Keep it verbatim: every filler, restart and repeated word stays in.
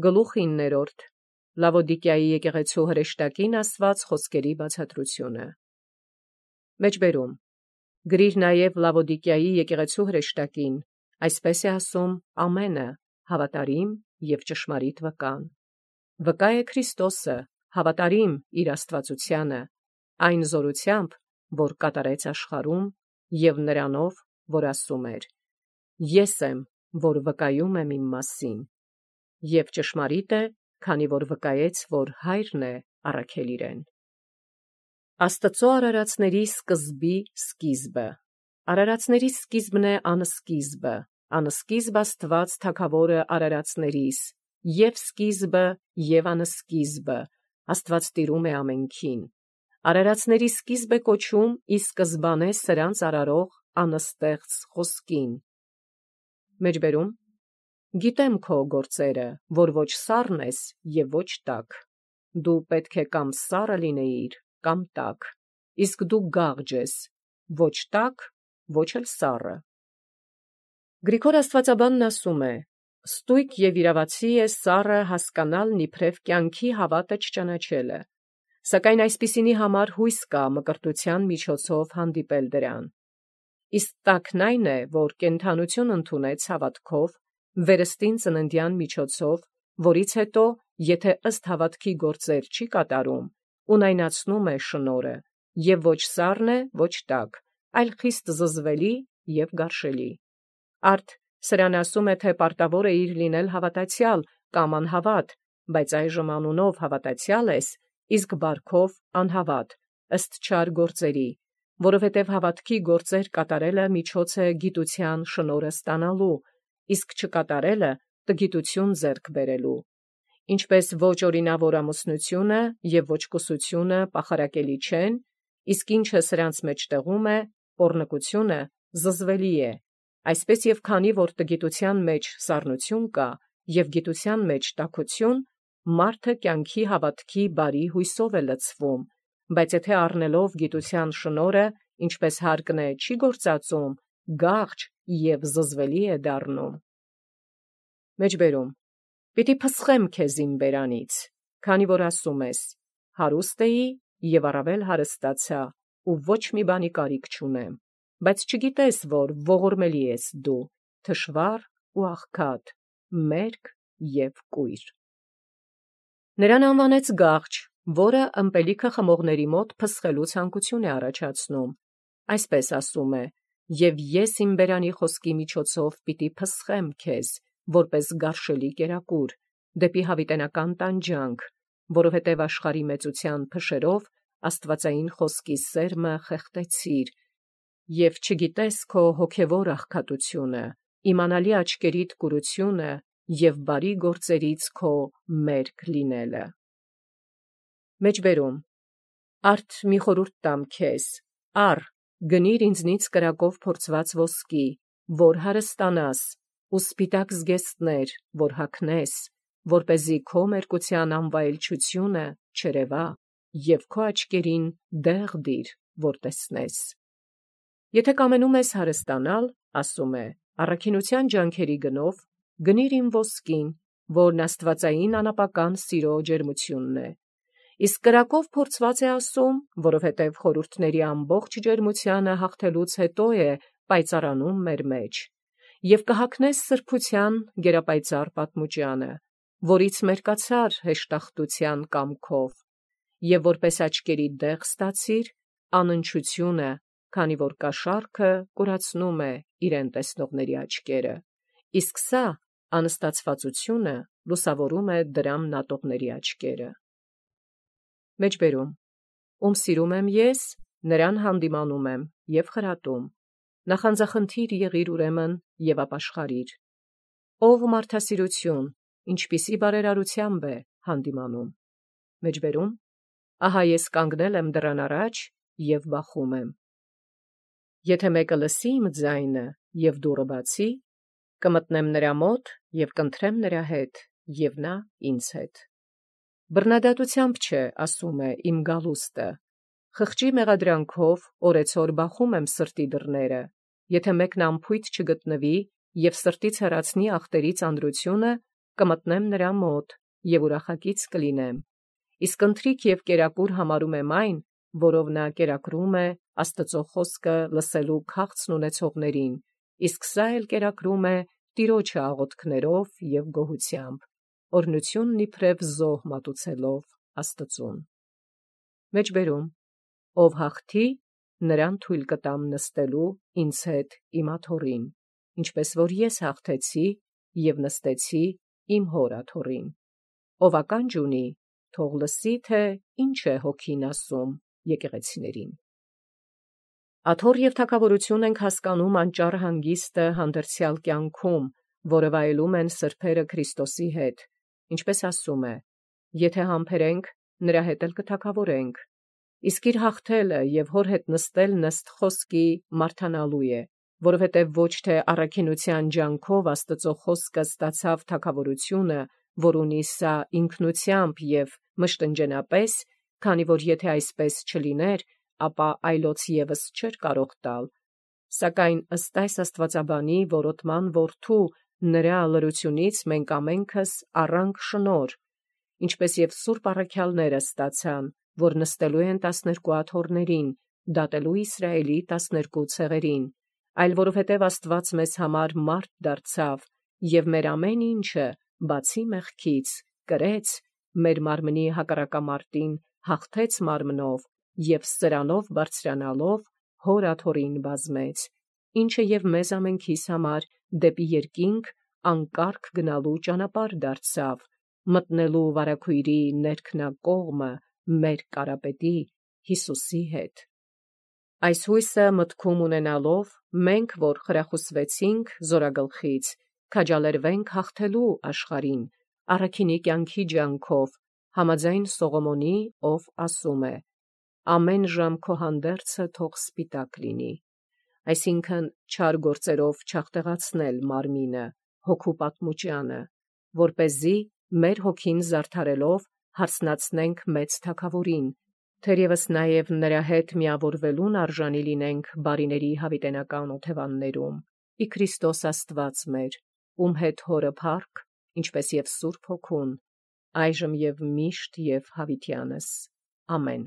Գլուխիններորդ Լավոդիկիայի եկեղեցու հրեշտակին ասված խոսքերի բացատրությունը։ Մեջբերում գրիր նաև Լավոդիկիայի եկեղեցու հրեշտակին, այսպես է ասում ամենը, հավատարիմ և ճշմարիտ վկան։ Վկա է Քրիստոսը, հավատարիմ իր աստվածությանը, այն զորությամբ, որ կատարեց աշխարհում, և նրանով, որ ասում էր. «Ես եմ, որ վկայում եմ իմ մասին», և ճշմարիտ է, քանի որ վկայեց, որ Հայրն է առաքել իրեն։ Աստծո արարածների սկզբի սկիզբը։ Արարածների սկիզբն է անսկիզբը, անսկիզբ Աստված թագավորը արարածներիս, և սկիզբը, և անսկիզբը, Աստված տիրում է ամենքին։ Արարածների սկիզբ է կոչում ի սկզբանե սրանց արարող անստեղծ խոսքին։ Մեջբերում Գիտեմ քո գործերը, որ ոչ սառն ես և ոչ տաք։ Դու պետք է կամ սառը լինեիր, կամ տաք, իսկ դու գաղջ ես, ոչ տաք, ոչ էլ սառը։ Գրիգոր աստվածաբանն ասում է. «Ստույգ և իրավացի է սառը հասկանալն իբրև կյանքի հավատը չճանաչելը, սակայն այսպիսինի համար հույս կա մկրտության միջոցով հանդիպել դրան։ Իսկ տաքն այն է, որ կենդանություն ընդունեց հավատքով, վերստին ծննդյան միջոցով, որից հետո, եթե ըստ հավատքի գործեր չի կատարում, ունայնացնում է շնորհը, և ոչ սառն է, ոչ տաք, այլ խիստ զզվելի և գարշելի։ Արդ սրան ասում է, թե պարտավոր է իր լինել հավատացյալ կամ անհավատ, բայց այժմ անունով հավատացյալ ես, իսկ բարքով անհավատ, ըստ չար գործերի, որովհետև հավատքի գործեր կատարելը միջոց է գիտության շնորհը ստանալու, իսկ չկատարելը տգիտություն ձեռք բերելու։ Ինչպես ոչ օրինավոր ամուսնությունը և ոչ կուսությունը պախարակելի չեն, իսկ ինչը սրանց մեջտեղում է, պոռնկությունը, զզվելի է, այսպես և քանի որ տգիտության մեջ սառնություն կա, և գիտության մեջ տաքություն, մարդը կյանքի հավատքի բարի հույսով է լցվում, բայց եթե առնելով գիտության շնորհը, ինչպես հարկն է, չի գործածում, գաղջ և զզվելի է դառնում։ Մեջբերում Պիտի փսխեմ քեզ իմ բերանից, քանի որ ասում ես. հարուստ էի և առավել հարստացա, ու ոչ մի բանի կարիք չունեմ, բայց չգիտես, որ ողորմելի ես դու, թշվառ ու աղքատ, մերկ և կույր։ Նրան անվանեց գաղջ, որը ըմպելիքը խմողների մոտ փսխելու ցանկություն է առաջացնում, այսպես ասում է. «Եվ ես իմ բերանի խոսքի միջոցով պիտի փսխեմ քեզ, որպես գարշելի կերակուր, դեպի հավիտենական տանջանք, որովհետև աշխարհի մեծության փշերով աստվածային խոսքի սերմը խեղդեցիր, և չգիտես քո հոգևոր աղքատությունը, իմանալի աչքերիդ կուրությունը և բարի գործերից քո մերկ լինելը»։ Մեջբերում Արդ մի խորհուրդ տամ քեզ. առ, գնիր ինձնից կրակով փորձված ոսկի, որ հարստանաս, ու սպիտակ զգեստներ, որ հագնես, որպեսզի քո մերկության անվայելչությունը չերևա, և քո աչքերին դեղ դիր, որ տեսնես։ Եթե կամենում ես հարստանալ, ասում է, առաքինության ջանքերի գնով, գնիր իմ ոսկին, որն աստվածային անապական սիրո ջերմությունն է։ Իսկ կրակով փորձված է ասում, որովհետև խորհուրդների ամբողջ ջերմությանը հաղթելուց հետո է պայծառանում մեր մեջ, և կհագնես սրբության գերապայծառ պատմուճանը, որից մերկացար հեշտախտության կամքով, և որպես աչքերի դեղ ստացիր անընչությունը, քանի որ կաշառքը կուրացնում է իրեն տեսնողների աչքերը, իսկ սա անստացվածությունը լուսավորում է դրամ նատողների աչքերը։ Մեջբերում Ում սիրում եմ ես, նրան հանդիմանում եմ և խրատում, նախանձախնդիր եղիր ուրեմն և ապաշխարիր։ Ով մարդասիրություն, ինչպիսի բարերարությամբ է հանդիմանում։ Մեջբերում Ահա ես կանգնել եմ դռան առաջ և բախում եմ։ Եթե մեկը լսի իմ ձայնը և դուռը բացի, կմտնեմ նրա մոտ և կընթրեմ նրա հետ, և նա ինձ հետ։ Բռնադատությամբ չէ, ասում է, իմ գալուստը, խղճի մեղադրանքով օրեցօր բախում եմ սրտի դռները, եթե մեկն անփույթ չգտնվի և սրտից հեռացնի ախտերի ծանրությունը, կմտնեմ նրա մոտ և ուրախակից կլինեմ։ Իսկ ընթրիք և կերակուր համարում եմ այն, որով նա կերակրում է Աստծո խոսքը լսելու քաղցն ունեցողներին, իսկ սա էլ կերակրում է Տիրոջը աղոթքներով և գոհությամբ, օրհնությունն իբրև զոհ մատուցելով Աստծուն։ Մեջբերում. ով հաղթի, նրան թույլ կտամ նստելու ինձ հետ իմ աթոռին, ինչպես որ ես հաղթեցի և նստեցի իմ հոր աթոռին։ Ով ականջ ունի, թող լսի, թե ինչ է Հոգին ասում եկեղեցիներին։ Աթոռ և թագավորություն ենք հասկանում անճառ հանգիստը հանդերձյալ կյանքում, որը վայելում են սրբերը Քրիստոսի հետ, ինչպես ասում է. «Եթե համբերենք, նրա հետ էլ կթագավորենք»։ Իսկ իր հաղթելը և հոր հետ նստելն ըստ խոսքի մարդանալու է, որովհետև ոչ թե առաքինության ջանքով Աստծո խոսքը ստացավ թագավորությունը, որ ունի սա ինքնությամբ և մշտնջենապես, քանի որ եթե այսպես չլիներ, ապա այլոց ևս չէր կարող տալ, սակայն ըստ այս աստվածաբանի որոտման որդու նրա լրությունից մենք ամենքս առանք շնորհ, ինչպես և սուրբ առաքյալները ստացան, որ նստելու են տասներկու աթոռներին, դատելու Իսրայելի տասներկու ցեղերին, այլ որովհետև Աստված մեզ համար մարդ դարձավ և մեր ամեն ինչը, բացի մեղքից, կրեց, մեր մարմնի հակառակամարտին հաղթեց մարմնով և սրանով բարձրանալով հոր աթոռին բազմեց, ինչը և մեզ ամենքիս համար դեպի երկինք անկարգ գնալու ճանապարհ դարձավ, մտնելու վարագույրի ներքնակողմը մեր Կարապետի Հիսուսի հետ։ Այս հույսը մտքում ունենալով, մենք, որ խրախուսվեցինք զորագլխից, քաջալերվենք հաղթելու աշխարհին, առաքինի կյանքի ջանքով, համաձայն Սողոմոնի, ով ասում է. «Ամեն ժամ քո հանդերձը թող սպիտակ լինի», այսինքն չար գործերով չաղտեղացնել մարմինը, հոգու պատմուճանը, որպեսզի մեր հոգին զարդարելով հարցնացնենք մեծ Թագավորին, թերևս նաև նրա հետ միավորվելուն արժանի լինենք բարիների հավիտենական օթևաններում, ի Քրիստոս Աստված մեր, ում հետ հորը փառք, ինչպես և Սուրբ Հոգուն, այժմ և միշտ և հավիտյանս։ Ամեն։